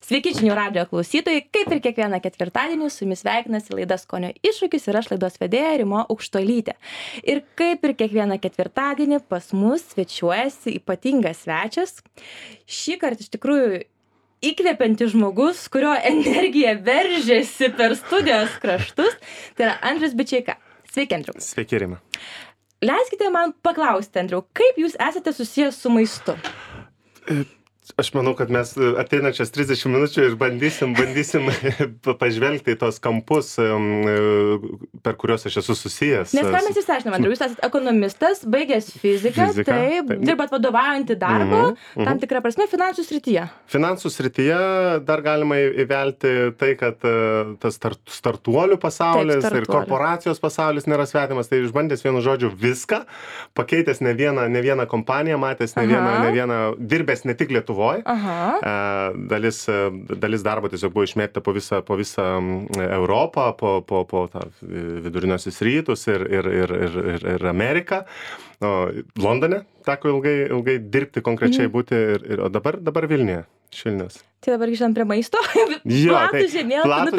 Sveiki žinių radijo klausytojai, kaip ir kiekvieną ketvirtadienį su jumis sveikinasi laida Skonio iššūkis ir aš laidos vedėja Rima Aukštuolytė. Ir kaip ir kiekvieną ketvirtadienį pas mus svečiuojasi ypatingas svečias. Šį kartą iš tikrųjų įkvepiantis žmogus, kurio energija veržiasi per studijos kraštus, tai yra Andrius Bičeika. Sveiki, Andriu. Sveiki, Rima. Leiskite man paklausti, Andriu, kaip jūs esate susijęs su maistu? Aš manau, kad mes ateinančias 30 minučių ir bandysim pažvelgti į tos kampus, per kuriuos aš esu susijęs. Nes ką mes išsiaiškiname, Andriu, jūs esate ekonomistas, baigęs fiziką, taip, dirbat vadovaujantį darbą, tam tikrą prasme finansų srityje. Finansų srityje dar galima įvelti tai, kad tas startuolių pasaulis ir korporacijos pasaulis nėra svetimas, tai išbandęs vienu žodžiu viską, pakeitęs ne vieną kompaniją, matęs ne vieną, dirbęs ne tik Lietuvoje. Dalis darbo tiesiog buvo išmėgta po visą Europą, po viduriniosios rytus ir Ameriką. Londone teko ilgai dirbti, konkrečiai būti, o dabar Vilniuje, iš Vilnius. Tai dabar grįžtam prie maisto. Platus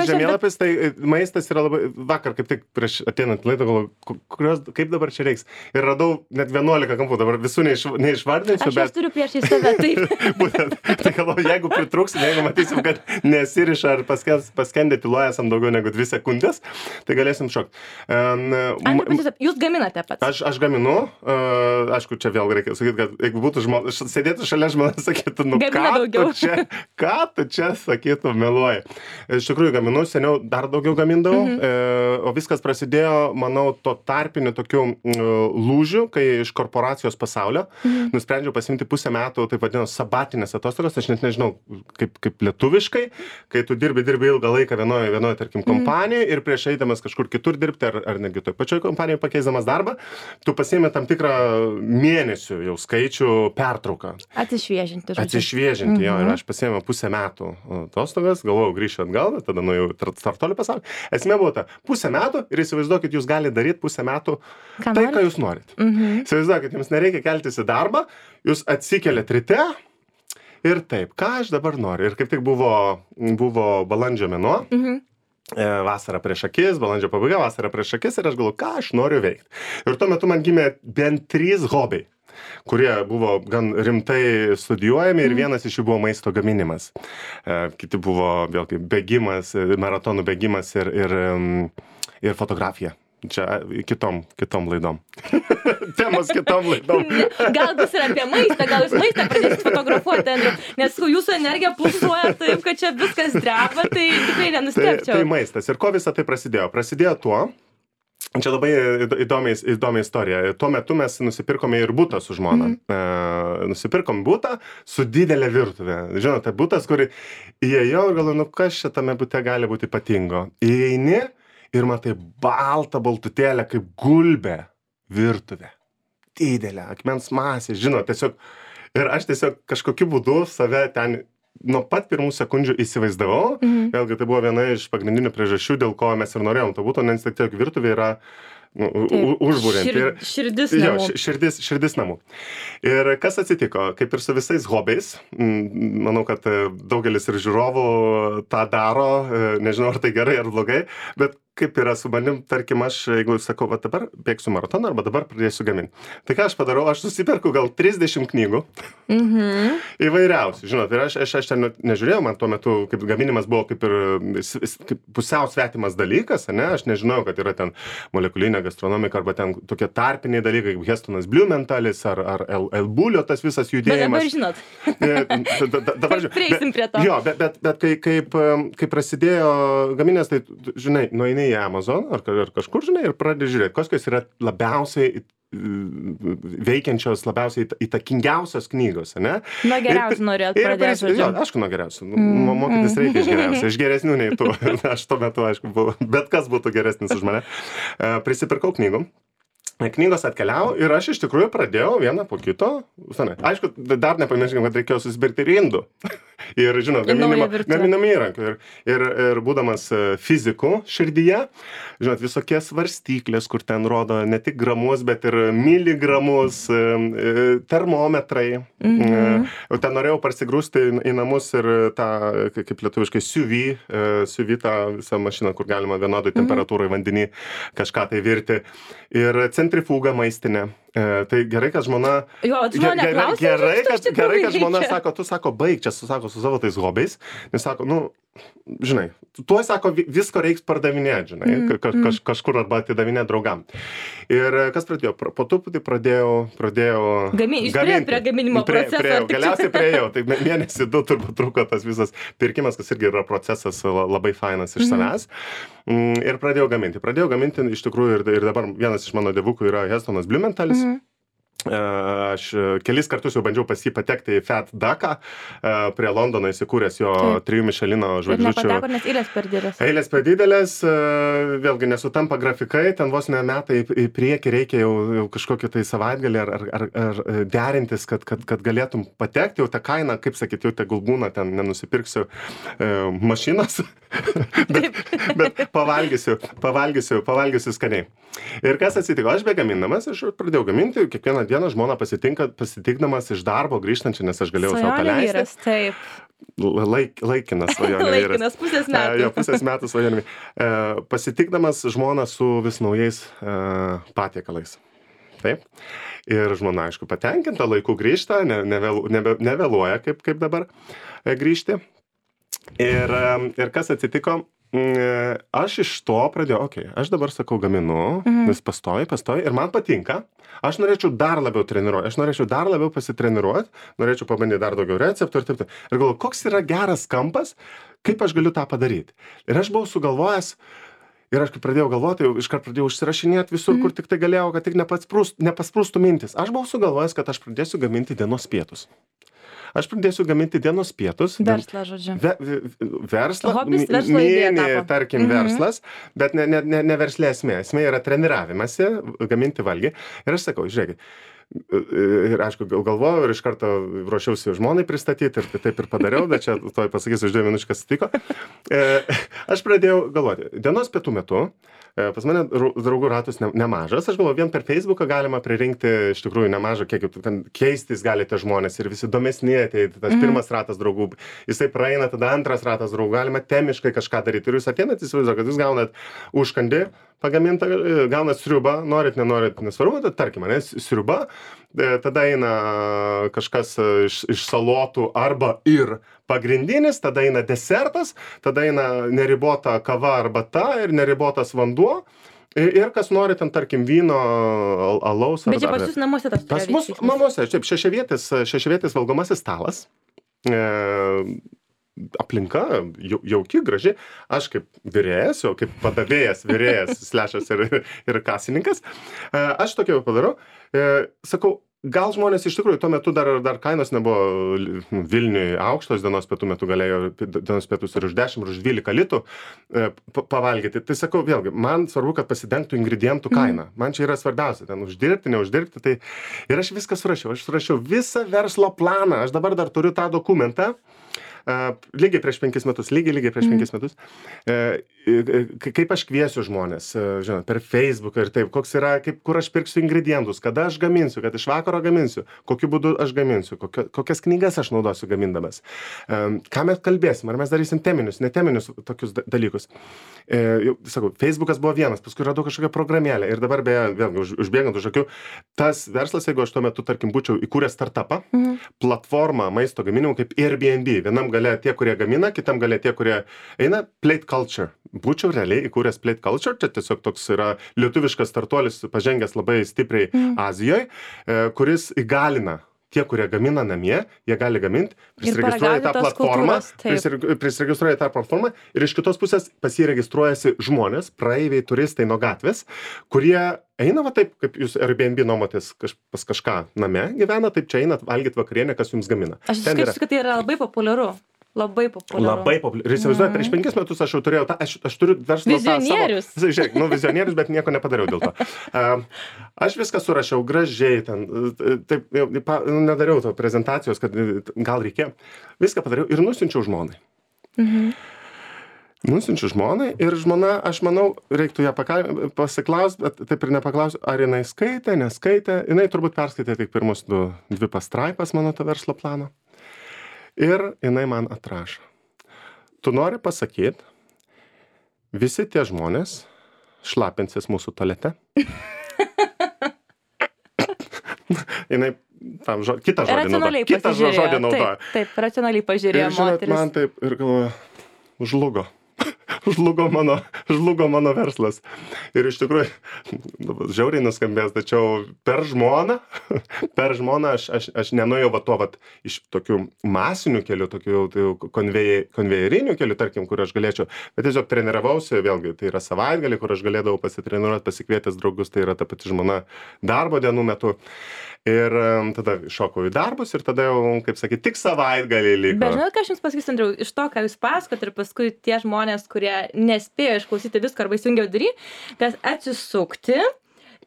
žemėlapis, tai maistas yra labai, vakar kaip tik prieš ateinant laidą galvoju, kaip dabar čia reiks. Ir radau net 11 kampų, dabar visų neišvardinsiu, bet... Aš turiu priešai save, taip. Būtent, tai galvoju, jeigu pritrūksim, jeigu matysim, kad nesiriša ar paskendė tyloje esam daugiau negu 2 sekundės, tai galėsim šokti. Jūs gaminate pats? Aš gaminu, aišku, čia vėl reikia sakyti, kad jeigu būtų žmonės, sėdėtų šalia žmonės, sakytų, ką tu čia sakytų, meluoji. Iš tikrųjų gaminu, seniau dar daugiau gamindavau, o viskas prasidėjo, manau, to tarpiniu tokiu lūžiu, kai iš korporacijos pasaulio nusprendžiau pasimti pusę metų, taip vadinasi, sabatinės atostogas, aš net nežinau, kaip lietuviškai, kai tu dirbi ilgą laiką vienoje tarkim, kompanijoje ir prieš eidamas kažkur kitur dirbti, ar netgi toj pačioj kompanijoje pakeisdamas darbą, tu pasiimi tam tikrą mėnesių jau skaičių pertrauką. Atsišviežinti, jo, ir aš pasiėmiau pusę metų atostogas, galvojau grįšiu atgal, bet tada nuėjau startuolių pasaulį. Esmė buvo ta, pusę metų ir įsivaizduokit, jūs galite daryti pusę metų ką jūs norit. Įsivaizduokit, jums nereikia keltis į darbą, jūs atsikeliat ryte ir taip, ką aš dabar noriu. Ir kaip tik buvo balandžio mėnuo, vasara prieš akis, balandžio pabaiga, vasara prieš akis ir aš galvoju, ką aš noriu veikti. Ir tuo metu man gimė bent 3 hobiai, kurie buvo gan rimtai studijuojami ir vienas iš jų buvo maisto gaminimas. Kiti buvo vėlgi bėgimas, maratonų bėgimas ir fotografija. Čia kitom laidom. Temos kitom laidom. Gal bus ir apie maistą, gal jūs maistą pradėsit fotografuoti, Andriu, nes jūsų energija pulsuoja taip, kad čia viskas dreba, tai tikrai nenustebčiau. Tai maistas. Ir ko visą tai prasidėjo? Prasidėjo tuo, čia labai įdomi istorija. Tuo metu mes nusipirkome ir butą su žmona. Nusipirkom butą su didelė virtuvė. Žinote, butas, kur įėjau ir galvoju, kas čia tame bute gali būti ypatingo. Įeini ir matai baltutėlę kaip gulbė virtuvė. Didelė, akmens masė, žinot, tiesiog. Ir aš tiesiog kažkokiu būdu save ten nuo pat pirmų sekundžių įsivaizdavau. Vėlgi tai buvo viena iš pagrindinių priežasčių, dėl ko mes ir norėjom to būtų, nes tiesiog virtuvė yra užburianti. Širdis namų. Ir kas atsitiko? Kaip ir su visais hobiais, manau, kad daugelis ir žiūrovų tą daro, nežinau, ar tai gerai ar blogai, bet kaip yra su manim, tarkim, aš, jeigu sakau, va dabar bėgsiu maratoną arba dabar pradėsiu gaminti. Tai ką aš padarau? Aš susiperku gal 30 knygų įvairiausių, žinot, ir aš ten nežiūrėjau, man tuo metu kaip gaminimas buvo kaip pusiau svetimas dalykas, ne? Aš nežinojau, kad yra ten molekulinė gastronomika arba ten tokie tarpiniai dalykai, kaip Hestonas Blumenthalis ar Elbulio tas visas judėjimas. Bet dabar žinot. Prieisim prie to. Jo, bet kai prasidėjo gaminės, tai, žinai, nueini į Amazon ar kažkur, žinai, ir pradedi žiūrėti, kokios yra labiausiai veikiančios, labiausiai įtakingiausios knygos, ne? Nuo geriausių norėjot pradėti. Jo, aišku, nuo geriausių. Mokytis reikia iš geriausių. Iš geresnių nei tu. Aš tuo metu, aišku, buvau. Bet kas būtų geresnis už mane. Prisipirkau knygų. Knygos atkeliavo ir aš iš tikrųjų pradėjau vieną po kito. Aišku, dar nepamirškim, kad reikėjo susipirkti ir indų. Ir, žinot, gaminami įrankių. Ir būdamas fiziku širdyje, žinot, visokie svarstyklės, kur ten rodo ne tik gramus, bet ir miligramus, termometrai. Ten norėjau parsigrūsti į namus ir tą, kaip lietuviškai, siuvį tą visą mašiną, kur galima vienodai temperatūrai vandenį kažką tai virti. Ir centrifugą maistinę. Tai gerai, kad žmona... Gerai, kad žmona sako, tu sako, baig čia, sako, su savo tais hobiais. Nes sako, žinai, tuo sako, visko reiks pardavinėti, žinai, kažkur arba atidavinėti draugam. Ir kas pradėjo? Po truputį pradėjau gaminti. Prie gaminimo proceso. Galiausiai priejau, tai mėnesį 2 turbūt truko tas visas pirkimas, kas irgi yra procesas labai fainas iš savęs. Ir pradėjau gaminti iš tikrųjų ir dabar vienas iš mano dievukų yra Hestonas Blumenthalis. Aš kelis kartus jau bandžiau pas jį patekti į Fat Ducką, prie Londono įsikūręs jo 3 Michelino žvaigždučių. Ir nepateko, nes eilės per didelės. Eilės per didelės, vėlgi nesutampa grafikai, ten vos ne metai į priekį reikia jau kažkokį tai savaitgalį ar derintis, kad galėtum patekti, jau tą kainą, kaip sakyti, jau tegul būna, ten nenusipirksiu mašinos, bet pavalgysiu skaniai. Ir kas atsitiko, aš begamindamas, aš pradėjau gaminti, kiekvieną dieną žmona pasitikdamas iš darbo grįžtančią, nes aš galėjau savo paleisti. Laikinas svajonė vyras. Laikinas pusės metų. Jo, pusės metų svajonė. Pasitikdamas žmoną su vis naujais patiekalais. Taip. Ir žmona, aišku, patenkinta, laiku grįžta, nevėluoja kaip dabar grįžti. Ir kas atsitiko? Aš iš to pradėjau, aš dabar sakau gaminu, vis pastoji ir man patinka, aš norėčiau dar labiau treniruoti, aš norėčiau dar labiau pasitreniruoti, norėčiau pabandyti dar daugiau receptų ir taip. Ir galvoju, koks yra geras kampas, kaip aš galiu tą padaryti. Ir aš buvau sugalvojęs, ir aš kai pradėjau galvoti, iškart pradėjau užsirašinėti visur, kur tik tai galėjau, kad tik nepasprūstų mintis. Aš buvau sugalvojęs, kad aš pradėsiu gaminti dienos pietus. Aš pradėsiu gaminti dienos pietus. Verslą, žodžiu. Verslą. Hobis, verslo idėja tapo. Tarkim, verslas, bet ne verslė esmė. Esmė yra treniravimasi, gaminti valgį. Ir aš sakau, žiūrėkit, ir aišku, galvojau ir iš karto ruošiausi žmonai pristatyti ir taip ir padariau, bet čia toj pasakysiu už 2 minučių, kas atsitiko. Aš pradėjau galvoti, dienos pietų metu, pas mane draugų ratus nemažas, aš galvoju, vien per Facebooką galima pririnkti iš tikrųjų nemažą kiekį, ten keistis galite žmonės ir visi įdomesni, tai tas pirmas ratas draugų, jisai praeina, tada antras ratas draugų, galima temiškai kažką daryti ir jūs ateinat, įsivaizduoju, kad jūs gaunat užkandį pagamintą, gaunat sriubą, norit, nenorit, nesvarbu, tai tarkim, sriuba, tada eina kažkas iš salotų arba ir pagrindinis, tada eina desertas, tada eina neribota kava arbata ir neribotas vanduo. Ir kas nori ten, tarkim, vyno, alaus. Bet čia pas jūs namuose tas turėjo vykti? Pas mus namuose, šešiavietis valgomasis stalas. Aplinka jauki, graži. Aš kaip virėjas, jau kaip padavėjas, virėjas, slešas ir kasininkas. Aš tokį jau padarau. Sakau, gal žmonės iš tikrųjų, tuo metu dar kainos nebuvo Vilniui aukštos, dienos pietų metu galėjo dienos pietus ir už 10, ir už 12 litų pavalgyti. Tai sakau, vėlgi, man svarbu, kad pasidengtų ingredientų kaina. Man čia yra svarbiausia, ten uždirbti, neuždirbti. Tai... Ir aš viską surašiau. Aš surašiau visą verslo planą. Aš dabar dar turiu tą dokumentą. Lygiai prieš 5 metus, lygiai prieš 5 metus, kaip aš kviesiu žmonės, žinot, per Facebooką ir taip, koks yra, kur aš pirksiu ingredientus, kada aš gaminsiu, kad iš vakaro gaminsiu, kokiu būdu aš gaminsiu, kokias knygas aš naudosiu gamindamas, ką mes kalbėsim, ar mes darysim teminius, neteminius tokius dalykus. Sakau, Facebookas buvo vienas, paskui radau kažkokią programėlę ir dabar beje, vėlgi, užbėgant už akių, tas verslas, jeigu aš tuo metu, tarkim, būčiau įkūręs startupą, platformą maisto gaminimų kaip Airbnb, vienam gale tie, kurie gamina, kitam gale tie, kurie eina, Plate Culture. Būčiau realiai įkūręs Plate Culture, čia tiesiog toks yra lietuviškas startuolis, pažengęs labai stipriai Azijoje, kuris įgalina tie, kurie gamina namie, jie gali gaminti, prisiregistruoja tą platformą, prisiregistruoja tą platformą ir iš kitos pusės pasiregistruojasi žmonės, praeiviai, turistai nuo gatvės, kurie eina va taip, kaip jūs Airbnb nuomotės pas kažką name gyvena, taip čia einat valgyt vakarienę, kas jums gamina. Aš skaičiu, kad tai yra labai populiaru. Labai populiaru. Labai populiaru. Ir įsivaizduoju, prieš 5 metus aš jau turėjau aš turiu verslo Vizionierius. Žiūrėk, vizionierius, bet nieko nepadariau dėl to. Aš viską surašiau gražiai ten, taip, nedariau to prezentacijos, kad gal reikėjo. Viską padariau ir nusiunčiau žmonai. Nusiunčiu žmonai ir žmona, aš manau, reiktų ją pasiklausti, bet taip ir nepaklausiu, ar jinai skaitė, neskaitė. Jinai turbūt perskaitė tik pirmus 2 pastraipas mano to verslo plano. Ir jinai man atrašo. Tu nori pasakyti, visi tie žmonės šlapinsis mūsų tualete. Jinai tam kitą žodį naudoja. Taip, racionaliai pažiūrėjo moteris. Ir žinot, man taip ir galvoju, žlugo mano verslas. Ir iš tikrųjų, žiauriai nuskambės, tačiau per žmoną aš nenuėjau iš tokių masinių kelių, tokių konvejerinių kelių, tarkim, kur aš galėčiau, bet tiesiog treniravausi, vėlgi, tai yra savaitgalį, kur aš galėdavau pasitreniruoti, pasikvietęs draugus, tai yra ta pati žmona darbo dienų metu. Ir tada šokau į darbus ir tada jau, kaip sakyti, tik savaitgalį liko. Bet žinot, ką aš jums pasakysiu, Andriau, iš to, ką jūs pasakot ir paskui tie žmonės, kurie nespėjo išklausyti visko arba įsijungiau daryti, kad atsisukti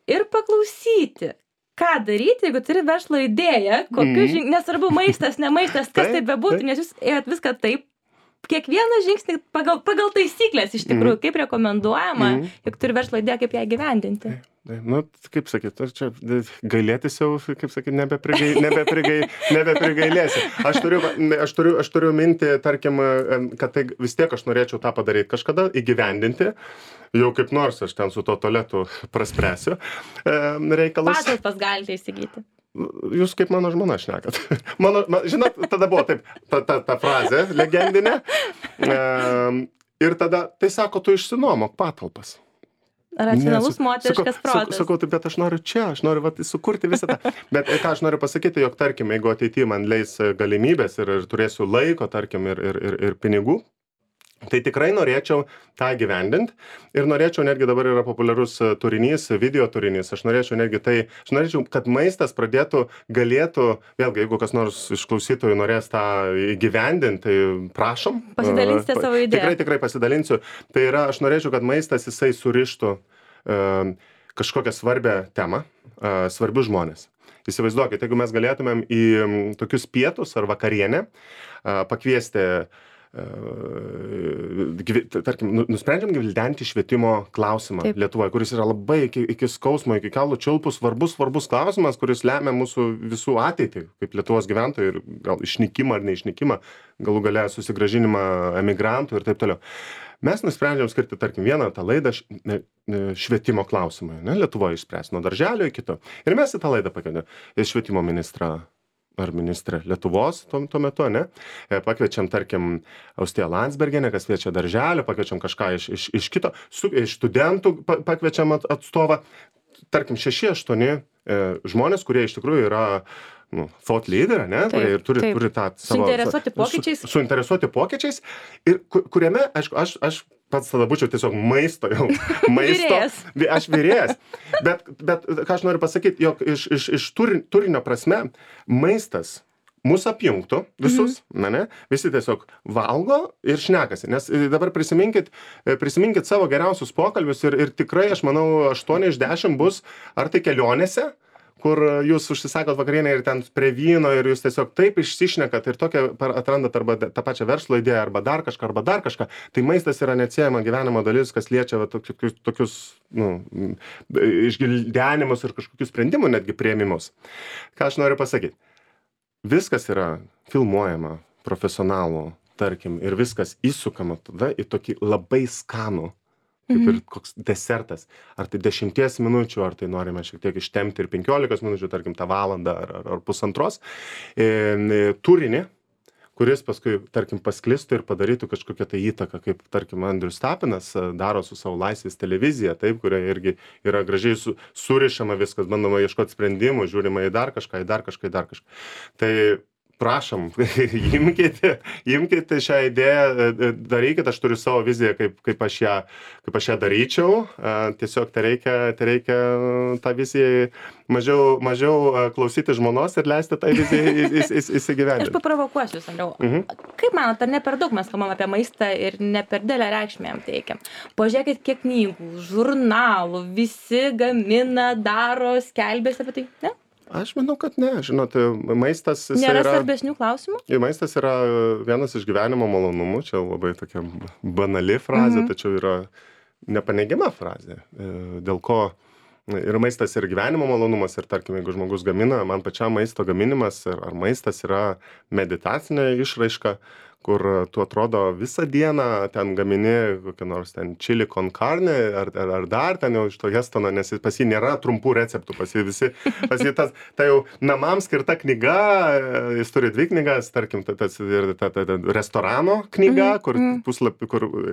ir paklausyti. Ką daryti, jeigu turi verslo idėją, nesvarbu maistas, ne maistas, kas tai bebūtų, nes jūs ėjot viską taip, kiekvieną žingsnį pagal taisyklės iš tikrųjų, kaip rekomenduojama, jeigu turi verslo idėją, kaip ją įgyvendinti. Nu, kaip sakyt, čia gailėtis jau, kaip sakyt, nebeprigailėsi. Aš turiu mintį, tarkim, kad tai vis tiek aš norėčiau tą padaryti, kažkada įgyvendinti, jau kaip nors aš ten su to tualetu praspręsiu reikalus. Patalpas galite įsigyti. Jūs kaip mano žmona šnekat. Žinot, tada buvo taip, ta frazė legendinė. Ir tada, tai sako, tu išsinuomok patalpas. Racionalus moteriškas protas. Sakau, bet aš noriu sukurti visą tą. Bet ką aš noriu pasakyti, jog, tarkim, jeigu ateityje man leis galimybės ir turėsiu laiko, tarkim, ir pinigų, tai tikrai norėčiau tą gyvendinti ir norėčiau, netgi dabar yra populiarus turinys, video turinys, aš norėčiau, kad maistas galėtų, vėlgi, jeigu kas nors iš klausytojų norės tą įgyvendinti, tai prašom. Pasidalinsite savo idėją. Tikrai pasidalinsiu. Tai yra, aš norėčiau, kad maistas jisai surištų kažkokią svarbią temą, svarbius žmonės. Įsivaizduokit, jeigu mes galėtumėm į tokius pietus ar vakarienę pakviesti tarkim, nusprendžiam gvildenti švietimo klausimą Lietuvoje, kuris yra labai iki skausmo, iki kaulų čiulpų svarbus klausimas, kuris lemia mūsų visų ateitį, kaip Lietuvos gyventojų ir gal išnykimą ar neišnykimą, galų gale susigrąžinimą emigrantų ir taip toliau. Mes nusprendžiam skirti, tarkim, vieną tą laidą švietimo klausimui, Lietuvoje išspręs nuo darželio iki kito. Ir mes į tą laidą pakvietėme švietimo ministrą ar ministrė Lietuvos tuo metu, ne? Pakviečiam, tarkim, Austiją Landsbergienę, kas kviečia darželį, pakviečiam kažką iš kito, iš studentų pakviečiam atstovą, tarkim, 6-8 žmonės, kurie iš tikrųjų yra thought leader, ne? Kurie ir turi tą savo... Suinteresuoti pokyčiais. Ir kuriame, aišku, aš pats tada būčiau tiesiog maisto. Aš virėjas. Bet ką aš noriu pasakyti, jog iš turinio prasme maistas mus apjungtų visus, visi tiesiog valgo ir šnekasi. Nes dabar prisiminkit savo geriausius pokalbius ir tikrai, aš manau, 8 iš 10 bus ar tai kelionėse, kur jūs užsisakot vakarienę ir ten prie vyno ir jūs tiesiog taip išsišnekat ir tokią atrandat arba tą pačią verslo idėją arba dar kažką, tai maistas yra neatsiejama gyvenimo dalis, kas liečia tokius išgildenimus ir kažkokius sprendimų netgi priėmimus. Ką aš noriu pasakyti? Viskas yra filmuojama profesionalų, tarkim, ir viskas įsukama tada į tokį labai skanų, kaip ir koks desertas. Ar tai 10 minučių, ar tai norime šiek tiek ištempti ir 15 minučių, tarkim, tą valandą ar pusantros. Turinį, kuris paskui, tarkim, pasklistų ir padarytų kažkokią tai įtaką, kaip, tarkim, Andrius Tapinas daro su savo Laisvės televizija, taip, kuria irgi yra gražiai surišama viskas, bandoma ieškoti sprendimų, žiūrima į dar kažką. Tai prašom, imkite šią idėją, darykit, aš turiu savo viziją, kaip aš ją daryčiau, tiesiog tai reikia tą viziją mažiau klausyti žmonos ir leisti tą viziją įsigyvendinti. Aš paprovokuosiu, Andriau. Kaip manot, ar ne per daug mes kalbam apie maistą ir ne per didelę reikšmę jam teikiam? Pažiūrėkit, kiek knygų, žurnalų, visi gamina, daro, skelbėsi apie tai, ne? Aš manau, kad ne. Žinot, maistas... Nėra svarbesnių klausimų? Maistas yra vienas iš gyvenimo malonumų. Čia labai tokia banali frazė, tačiau yra nepaneigiama frazė. Dėl ko ir maistas ir gyvenimo malonumas. Ir tarkim, jeigu žmogus gamina, man pačiam maisto gaminimas ar maistas yra meditacinė išraiška, kur tu atrodo visą dieną ten gamini kokią nors ten chili con carne ar dar ten jau iš to Hestono, nes pas jį nėra trumpų receptų, pas jį ta jau namams skirta knyga, jis turi 2 knygas, tarkim, ta restorano knyga, kur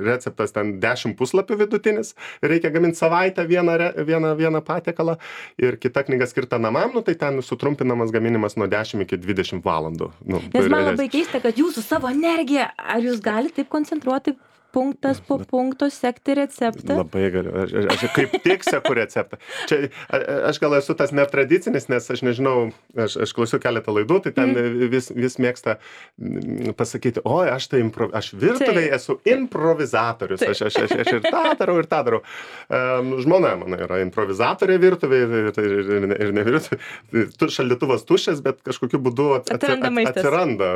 receptas ten 10 puslapių vidutinis, reikia gaminti savaitę vieną patiekalą, ir kita knyga skirta namam, tai ten sutrumpinamas gaminimas nuo 10 iki 20 valandų. Nes man labai keista, kad jūsų savo ar jūs galite taip koncentruoti punktas po punkto, sekti receptą? Labai galiu. Aš kaip tik seku receptą. Čia, aš gal esu tas netradicinis, nes aš nežinau, aš klausiu keletą laidų, tai ten vis mėgsta pasakyti, oi, aš virtuvėje esu improvizatorius. Aš ir tą darau. Žmona mano yra improvizatorė virtuvėje ir ne virtuvėje. Šaldytuvas tuščias, bet kažkokiu būdu atsiranda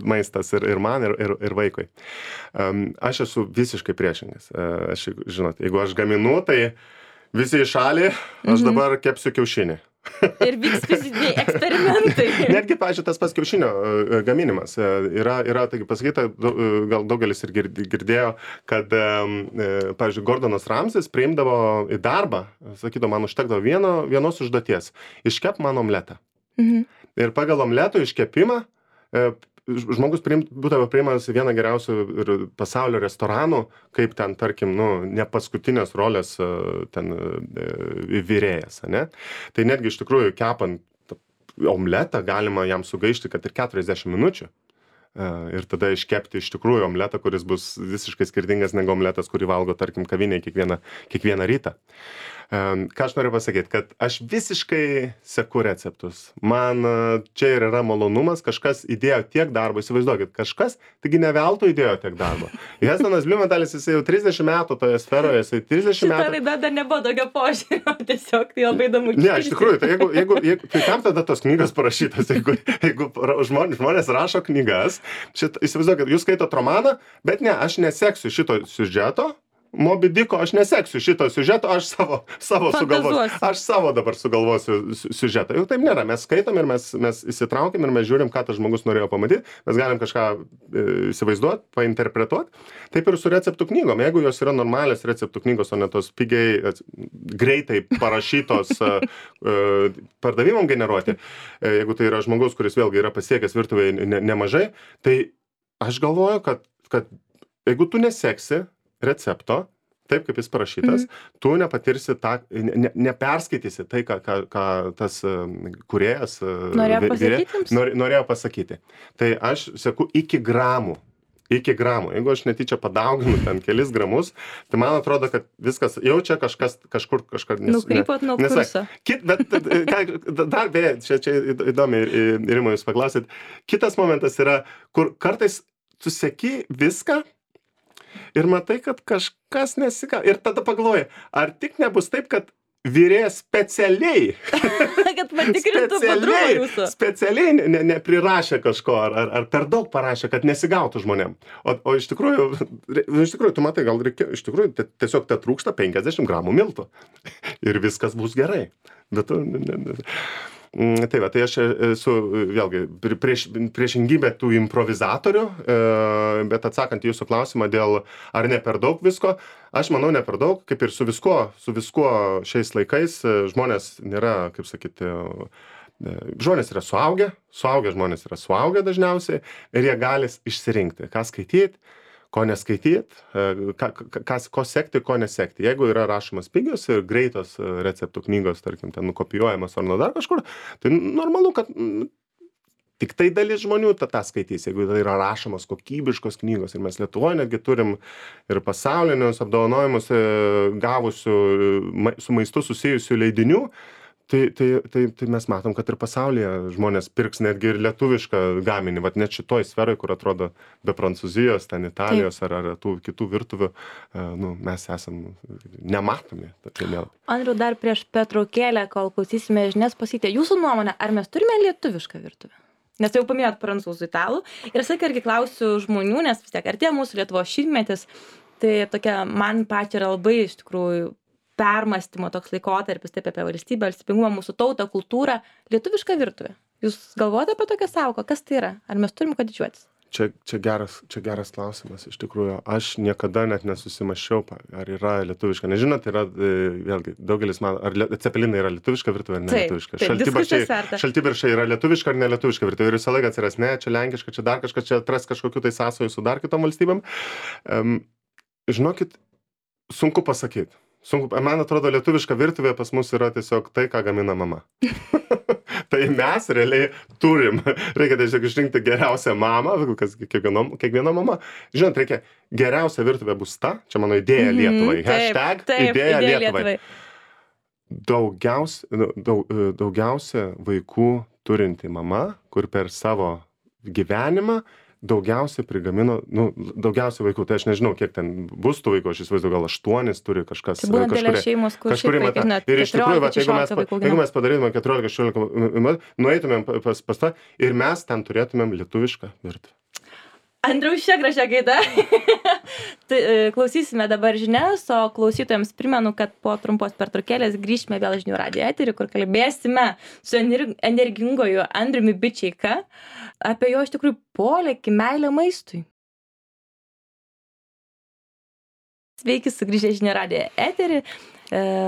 maistas ir man, ir vaikui. Aš esu visiškai priešingas. Žinot, jeigu aš gaminu, tai visi į šalį, aš dabar kepsiu kiaušinį. Ir vyks fiziniai eksperimentai. Netgi, pavyzdžiui, tas pas kiaušinio gaminimas. Yra taigi pasakyta, gal daugelis ir girdėjo, kad, pavyzdžiui, Gordonas Ramsis priimdavo į darbą, sakydavo, man užtekdavo vienos užduoties. Iškep man omletą. Ir pagal omleto iškepimą žmogus būdavo priimamas į vieną geriausių ir pasaulio restoranų, kaip ten, tarkim, ne paskutinės rolės ten virėjas, ne? Tai netgi iš tikrųjų kepant omletą galima jam sugaišti, kad ir 40 minučių. Ir tada iškepti iš tikrųjų omletą, kuris bus visiškai skirtingas negu omletas, kurį valgo, tarkim, kavinėje kiekvieną rytą. Ką aš noriu pasakyti, kad aš visiškai seku receptus. Man čia ir yra malonumas, kažkas įdėjo tiek darbo, įsivaizduokit, kažkas, taigi ne veltui įdėjo tiek darbo. Hestonas Blumenthalis, jis jau 30 metų toje sferoje, jisai 30 metų... Šitą laidą dar nebuvo tokio požiūrio, tiesiog tai labai įdomu. Ne, iš tikrųjų, tai tai kam tada tos knygos parašytos, jeigu žmonės rašo knygas, įsivaizduokit, jūs skaitot romaną, bet ne, aš neseksiu šito siužeto, Moby Dicko, aš neseksiu šito siužeto, aš savo sugalvosiu. Aš savo dabar sugalvosiu siužetą. Jau taip nėra, mes skaitom ir mes įsitraukiam ir mes žiūrim, ką tas žmogus norėjo pamatyti, mes galim kažką įsivaizduoti, painterpretuoti. Taip ir su receptų knygom. Jeigu jos yra normalios receptų knygos, o ne tos pigiai, greitai parašytos pardavimam generuoti, jeigu tai yra žmogus, kuris vėlgi yra pasiekęs virtuvėje nemažai, tai aš galvoju, kad jeigu tu neseksi recepto, taip kaip jis parašytas, tu nepatirsi neperskaitysi tai, ką tas kūrėjas norėjo pasakyti. Tai aš seku iki gramų. Jeigu aš netyčia padauginu ten kelis gramus, tai man atrodo, kad viskas jau čia kažkur nukrypot nuo kurso. Bet dar beje, čia įdomiai, Rima, jūs paklausit, kitas momentas yra, kur kartais tu seki viską, ir matai, kad kažkas nesika. Ir tada pagalvoji, ar tik nebus taip, kad virėjas specialiai kad patikrintų padrumą jūsų. Specialiai neprirašė kažko, ar per daug parašė, kad nesigautų žmonėm. O iš tikrųjų, tu matai, gal reikia, iš tikrųjų, tiesiog te trūksta 50 gramų miltų. Ir viskas bus gerai. Bet tu... Tai va, tai aš esu vėlgi priešingybė tų improvizatorių, bet atsakant į jūsų klausimą dėl ar ne per daug visko, aš manau ne per daug, kaip ir su viskuo šiais laikais žmonės nėra, kaip sakyti, žmonės yra suaugę žmonės yra suaugę dažniausiai ir jie gali išsirinkti, ką skaityti, ko neskaityt, ko sekti, ko nesekti. Jeigu yra rašomas pigios ir greitos receptų knygos, tarkim, ten nukopijuojamas ar nuo dar kažkur, tai normalu, kad tik tai dalis žmonių tą skaitys, jeigu tai yra rašomos kokybiškos knygos. Ir mes Lietuvoje netgi turim ir pasaulinius apdovanojimus gavusių su maistu susijusių leidinių. Tai mes matom, kad ir pasaulyje žmonės pirks netgi ir lietuvišką gaminį, vat net šitoj sferoj, kur atrodo be Prancūzijos, ten Italijos ar tų kitų virtuvių, mes esam nematomi. Andriau, dar prieš pertraukėlę, kol klausysime žinias, pasakykite jūsų nuomonę, ar mes turime lietuvišką virtuvę? Nes jau paminėjot prancūzų, italų. Ir aš irgi klausiu žmonių, nes vis tiek artėja mūsų Lietuvos šimtmetis, tai tokia man pačiai yra labai iš tikrųjų permąstymo toks laikotarpis, taip apie valstybę, valstybingumą, mūsų tautą, kultūrą, lietuvišką virtuvę. Jūs galvojate apie tokią sąvoką? Kas tai yra? Ar mes turim ką didžiuotis? Čia geras klausimas, iš tikrųjų. Aš niekada net nesusimąsčiau, ar yra lietuviška. Nežinot, yra, vėlgi, daugelis man, ar cepelinai yra lietuviška virtuvė ar ne lietuviška. Šaltibarščiai yra lietuviška ar ne lietuviška virtuvė. Ir visą laiką atsiras, ne, čia lenkiška, čia dar kažkas, čia atras kažkokių tai sąsajų su dar kitom valstybėm. Žinokit, sunku pasakyti. Man atrodo, lietuviška virtuvė pas mus yra tiesiog tai, ką gamina mama. Tai mes realiai turim. Reikia tiesiog išrinkti geriausią mamą, kiekviena mama. Žinot, reikia geriausia virtuvė bus ta, čia mano idėja Lietuvai. Hashtag idėja Lietuvai. Daugiausia vaikų turinti mama, kur per savo gyvenimą daugiausiai prigamino, daugiausiai vaikų, tai aš nežinau, kiek ten bus tų vaikų, aš įsivaizduoju, gal 8 turi kažkas. Tai būna dėlė šeimos, kur šiaip vaikai, ir iš tikrųjų, jeigu mes padarytumėm 14-16, nueitumėm pas tą ir mes ten turėtumėm lietuvišką virtuvę. Andriau, šią gražią gaidą. Tai klausysime dabar žinias, o klausytojams primenu, kad po trumpos pertraukėlės grįžime vėl žinių radijo eterį, kur kalbėsime su energingoju Andriumi Bičeika apie jo iš tikrųjų polėkį, meilę maistui. Sveiki, sugrįžę žinių radijo eterį.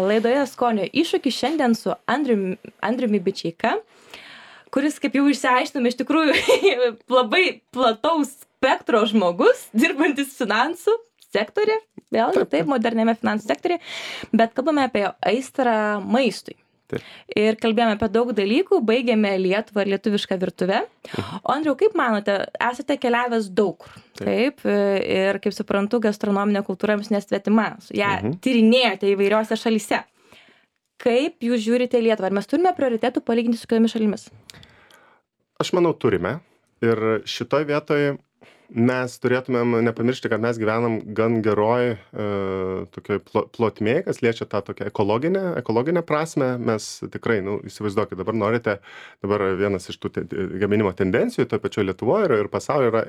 Laidoje Skonio iššūkis šiandien su Andriumi Bičeika, kuris, kaip jau išsiaiškinome, iš tikrųjų labai plataus spektro žmogus, dirbantis finansų sektorė, vėlgi taip, moderniame finansų sektorė, bet kalbame apie aistrą maistui. Taip. Ir kalbėjome apie daug dalykų, baigėme Lietuvą ir lietuvišką virtuvę. O Andriau, kaip manote, esate keliavęs daug, taip, ir kaip suprantu, gastronominė kultūra jums nesvetima, ją tyrinėjote įvairiose šalyse. Kaip jūs žiūrite Lietuvą? Ar mes turime prioritetų palyginti su kitomis šalimis? Aš manau, turime. Ir šitoj vietoj mes turėtumėm nepamiršti, kad mes gyvenam gan geroj tokioj plotmėj, kas liečia tą tokią ekologinę prasmę. Mes tikrai, įsivaizduokit, dabar vienas iš tų gaminimo tendencijų, toj pačioj Lietuvoje ir pasaulyje yra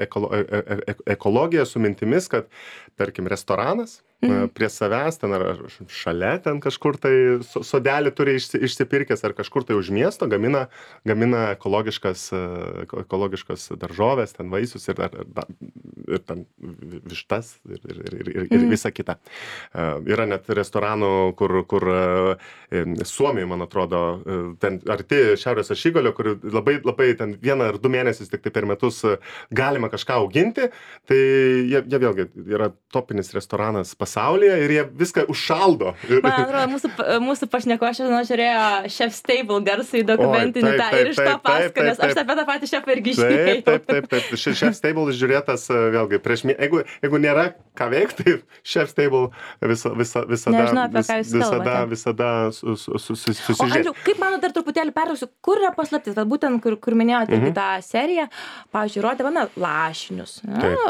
ekologija su mintimis, kad, tarkim, restoranas prie savęs ten ar šalia ten kažkur tai sodelį turi išsipirkęs ar kažkur tai už miesto gamina ekologiškas daržoves, ten vaisius ir ten vištas ir visa kita. Yra net restoranų, kur Suomijoje, man atrodo, ten arti Šiaurės ašigalio, kur labai ten 1 ar 2 mėnesius tik tai per metus galima kažką auginti, tai jie vėlgi yra topinis restoranas pasaulyje ir jie viską užšaldo. Man atrodo, mūsų pašnekovas šiandien žiūrėjo Chef's Table garsai dokumentinį tą ir iš to pasako, nes aš apie tą patį šefą irgi žiūrėjau. Taip. Chef's Table žiūrėtas vėlgi prieš jeigu nėra ką veikti, tai Chef's Table visada susižiūrėti. O Andriau, kaip mano dar truputėlį pertrauksiu, kur yra paslaptis? Vat būtent, kur minėjote tą seriją, pavyzdžiui, rodė lašinius,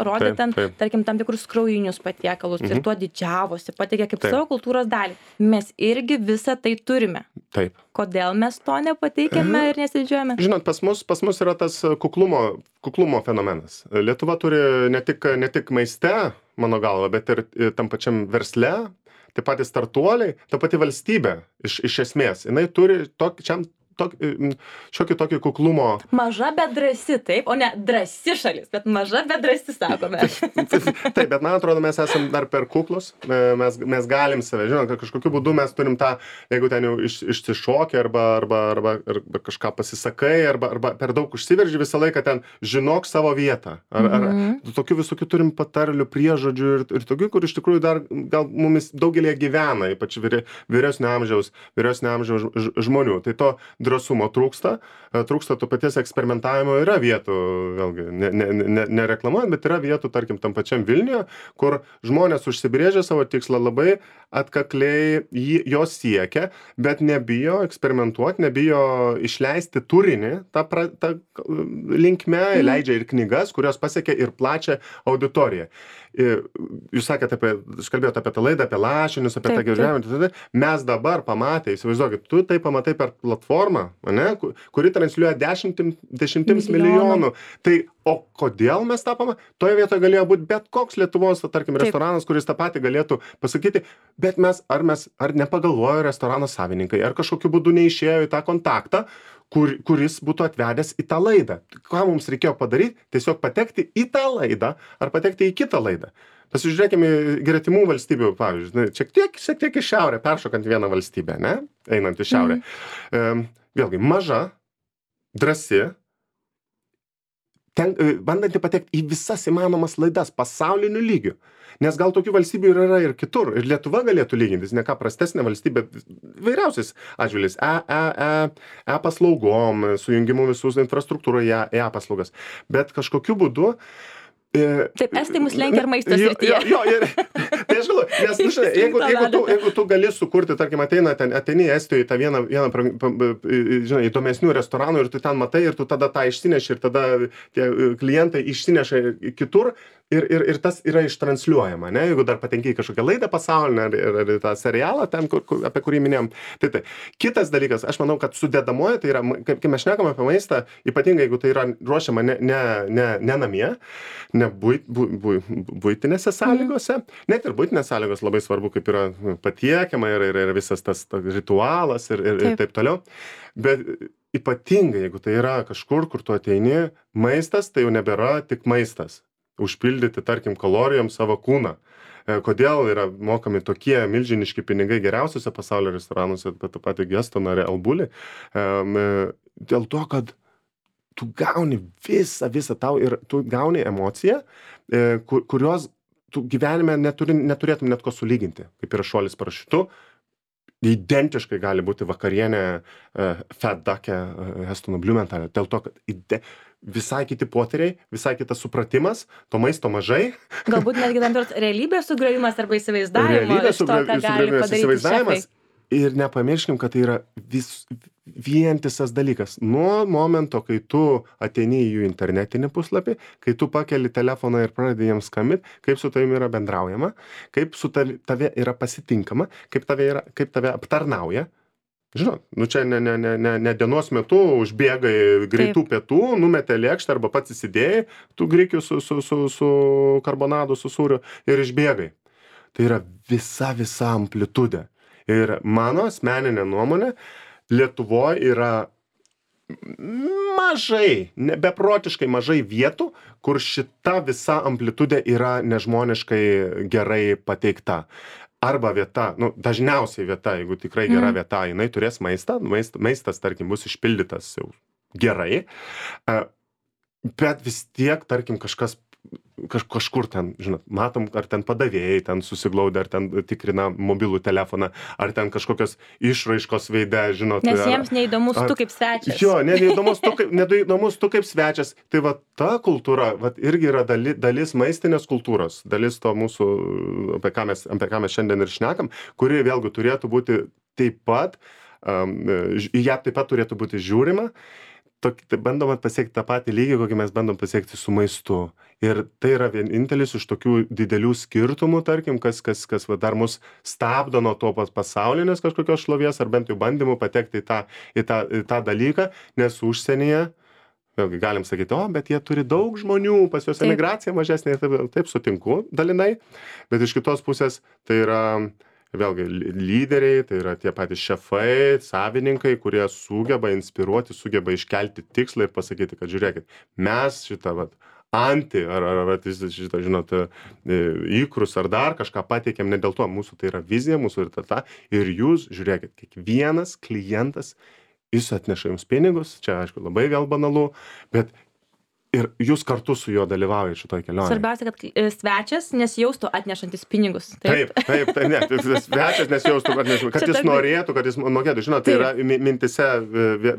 rodė ten, tarkim, tam tikrus kraujinius patiekalus ir tuo didžiavosi, pateikė kaip savo kultūros dalį. Mes irgi visą tai turime. Taip. Kodėl mes to nepateikėme ir nesididžiuojame? Žinot, pas mus yra tas kuklumo fenomenas. Lietuva turi ne tik maiste, mano galva, bet ir tam pačiam versle, taip pat startuoliai, ta pati valstybė iš esmės. Jinai turi šiokį tokį kuklumo. Maža, bet drąsi, taip, o ne drąsi šalis, bet maža, bet drąsi, sakome. Taip, bet man atrodo, mes esam dar per kuklus, mes galim save, žinot, kad kažkokiu būdu mes turim tą, jeigu ten jau išsišoki arba kažką pasisakai, arba per daug užsiverži visą laiką ten žinok savo vietą. Ar tokių visokių turim patarlių, priežodžių ir tokių, kur iš tikrųjų dar gal mumis daugelį gyvena, ypač vyresnio amžiaus žmonių. Tai to drąsumo trūksta, trūksta to paties eksperimentavimo, yra vietų, vėlgi, nereklamuojant, bet yra vietų, tarkim, tam pačiam Vilniuje, kur žmonės užsibrėžia savo tikslą labai atkakliai, jos siekia, bet nebijo eksperimentuoti, nebijo išleisti turinį, tą linkme, leidžia ir knygas, kurios pasiekia ir plačią auditoriją. Jūs sakėte aš kalbėjau apie tą laidą, apie lašinius, apie tą gyvenimą. Mes dabar pamatę, įsivaizduokit, tu tai pamatai per platformą, ne, kuri transliuoja dešimtims milijonų. Tai, o kodėl mes tą pamatėme? Toje vietoje galėjo būti bet koks Lietuvos, tarkim, restoranas, kuris tą patį galėtų pasakyti, bet ar nepagalvojo restorano savininkai, ar kažkokiu būdu neišėjo į tą kontaktą, kuris būtų atvedęs į tą laidą. Ką mums reikėjo padaryti? Tiesiog patekti į tą laidą ar patekti į kitą laidą. Pasižiūrėkime gretimų valstybių, pavyzdžiui, šiek tiek į šiaurę, peršokant vieną valstybę, ne? Einant į šiaurę. Vėlgi, maža, drąsi, bandanti patekti į visas įmanomas laidas pasauliniu lygiu. Nes gal tokių valstybių yra ir kitur. Ir Lietuva galėtų lygintis, ne ką prastesnė valstybė, vairiausiais atžvilgiais, paslaugom, sujungimu visus infrastruktūroje, paslaugas. Bet kažkokiu būdu Taip, estai mus lenkia ir maisto srityje. Jo, tai aš galvoju, nes, žinai, jeigu tu gali sukurti, tarkim, ateini į Estijoje tą vieną žinai, įdomesnių restoranų ir tu ten matai ir tu tada tą išsineši ir tada tie klientai išsineša kitur ir tas yra ištransliuojama, ne? Jeigu dar patenki į kažkokią laidą pasaulinę ar tą serialą, ten, apie kurį minėjom. Tai. Kitas dalykas, aš manau, kad sudedamoji, tai yra, kai mes šnekame apie maistą, ypatingai jeigu tai yra ruošiama ne namie, ne buitinėse sąlygose, net ir buitinės sąlygos labai svarbu, kaip yra patiekiama ir visas tas ritualas ir taip toliau. Bet ypatingai, jeigu tai yra kažkur, kur tu ateini, maistas, tai jau nebėra tik maistas. Užpildyti, tarkim, kalorijom savo kūną. Kodėl yra mokami tokie milžiniški pinigai geriausiuose pasaulio restoranuose, bet tą patį Gestoną ar Albulį? Dėl to, kad tu gauni visą tau ir tu gauni emociją, kurios tu gyvenime neturėtum net ko sulyginti, kaip yra šuolis parašiutu. Identiškai gali būti vakarienė Fat Duck'e Heston Blumenthal. Dėl to, kad visai kiti potyriai, visai kitas supratimas, to maisto mažai. Galbūt netgi tam tikras realybės sugriovimas arba įsivaizdavimo iš to, ką gali padaryti šefai. Ir nepamirškim, kad tai yra vientisas dalykas. Nuo momento, kai tu ateini į jų internetinį puslapį, kai tu pakeli telefoną ir pradedi jiems skambinti, kaip su tavimi yra bendraujama, kaip su tave yra pasitinkama, kaip tave aptarnauja. Žinot, čia ne dienos metu užbėgai greitų pietų, numetė lėkštę arba pats įsidėjai, tu grikių su karbonadu, su sūriu ir išbėgai. Tai yra visa amplitudė. Ir mano asmeninė nuomonė, Lietuvoje yra beprotiškai mažai vietų, kur šita visa amplitudė yra nežmoniškai gerai pateikta. Arba vieta, dažniausiai vieta, jeigu tikrai gera vieta, jinai turės maistą, maistas, tarkim, bus išpildytas jau gerai, bet vis tiek, tarkim, kažkur ten, žinot, matom, ar ten padavėjai ten susiglaudę, ar ten tikrina mobilų telefoną, ar ten kažkokios išraiškos veide, žinot. Nes jiems neįdomus tu kaip svečias. Jo, neįdomus tu kaip svečias. Tai va ta kultūra, va irgi yra dalis maistinės kultūros, dalis to mūsų, apie ką mes šiandien ir šnekam, kuri vėlgi turėtų būti taip pat, į ją taip pat turėtų būti žiūrima. Bandoma pasiekti tą patį lygį, kokį mes bandom pasiekti su maistu. Ir tai yra vienintelis iš tokių didelių skirtumų, tarkim, kas dar mus stabdo nuo to pasaulinės kažkokios šlovės, ar bent jau bandymų patekti į tą dalyką, nes užsienyje, vėlgi galim sakyti, bet jie turi daug žmonių, pas juos emigracija mažesnė, taip sutinku dalinai, bet iš kitos pusės tai yra vėlgi lyderiai, tai yra tie patys šefai, savininkai, kurie sugeba inspiruoti, sugeba iškelti tikslą ir pasakyti, kad žiūrėkit, mes šitą ar šitą, žinot, įkrus ar dar kažką pateikėm, ne dėl to, mūsų tai yra vizija, mūsų ir jūs, žiūrėkit, kiekvienas klientas, jis atneša jums pinigus, čia aišku labai gal banalu, bet ir jūs kartu su juo dalyvaujat šitoj kelionėj. Svarbiausia, kad svečias nesijaustų atnešantis pinigus. Taip, ne, svečias nesijaustų, kad jis norėtų, kad jis mokėtų. Žinot, tai yra mintise,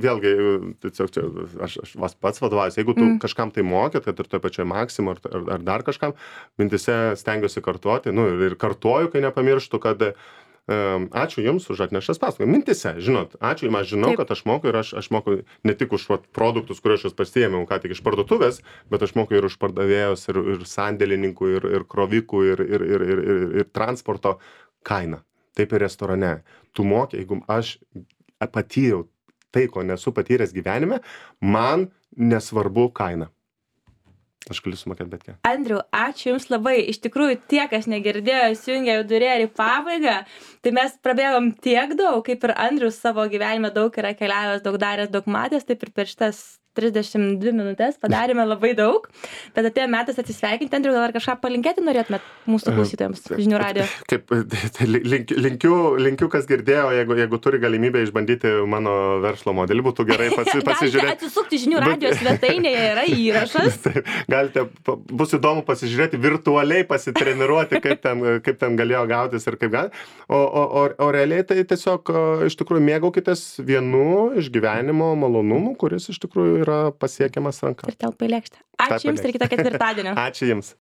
vėlgi, tiesiog aš pats vadovaujuosi, jeigu tu kažkam tai mokėt, kad ir toj pačioj Maximo ar dar kažkam, mintise stengiuosi kartuoti, ir kartuoju, kai nepamirštu, kad ačiū Jums už atneštas paslaugas. Mintise, žinot, ačiū Jums, aš žinau, kad aš moku ir aš moku ne tik už produktus, kuriuos aš pasiėmiau ką tik iš parduotuvės, bet aš moku ir už pardavėjus, ir sandėlininkų, ir krovikų, ir transporto kainą. Taip ir restorane. Tu moki, jeigu aš patyriau tai, ko nesu patyręs gyvenime, man nesvarbu kaina. Aš galiu sumokėti bet ką. Andriau, ačiū Jums labai. Iš tikrųjų, tie, kas negirdėjo, įsijungė jau durėlį į pabaigą, tai mes prabėgom tiek daug, kaip ir Andrius savo gyvenime daug yra keliavęs, daug daręs, daug matęs, taip ir per šitas 32 minutės padarėme labai daug, bet atėjo metas atsisveikinti. Andriau, gal ar kažką palinkėti norėtumėt mūsų klausytojams žinių radijo? Kaip, linkiu, kas girdėjo, jeigu turi galimybę išbandyti mano verslo modelį, būtų gerai pasižiūrėti. Galite atsisukti žinių radijo svetainėje, yra įrašas. Galite, bus įdomu pasižiūrėti, virtualiai pasitreniruoti, kaip ten galėjo gautis ir kaip gali. O realiai tai tiesiog iš tikrųjų mėgaukitės vienu iš gyvenimo malonumų, kuris iš tikrųjų yra pasiekiamas ranka. Ir telpa į lėkštę. Ačiū Jums ir kitą ketvirtadienį. Ačiū Jums.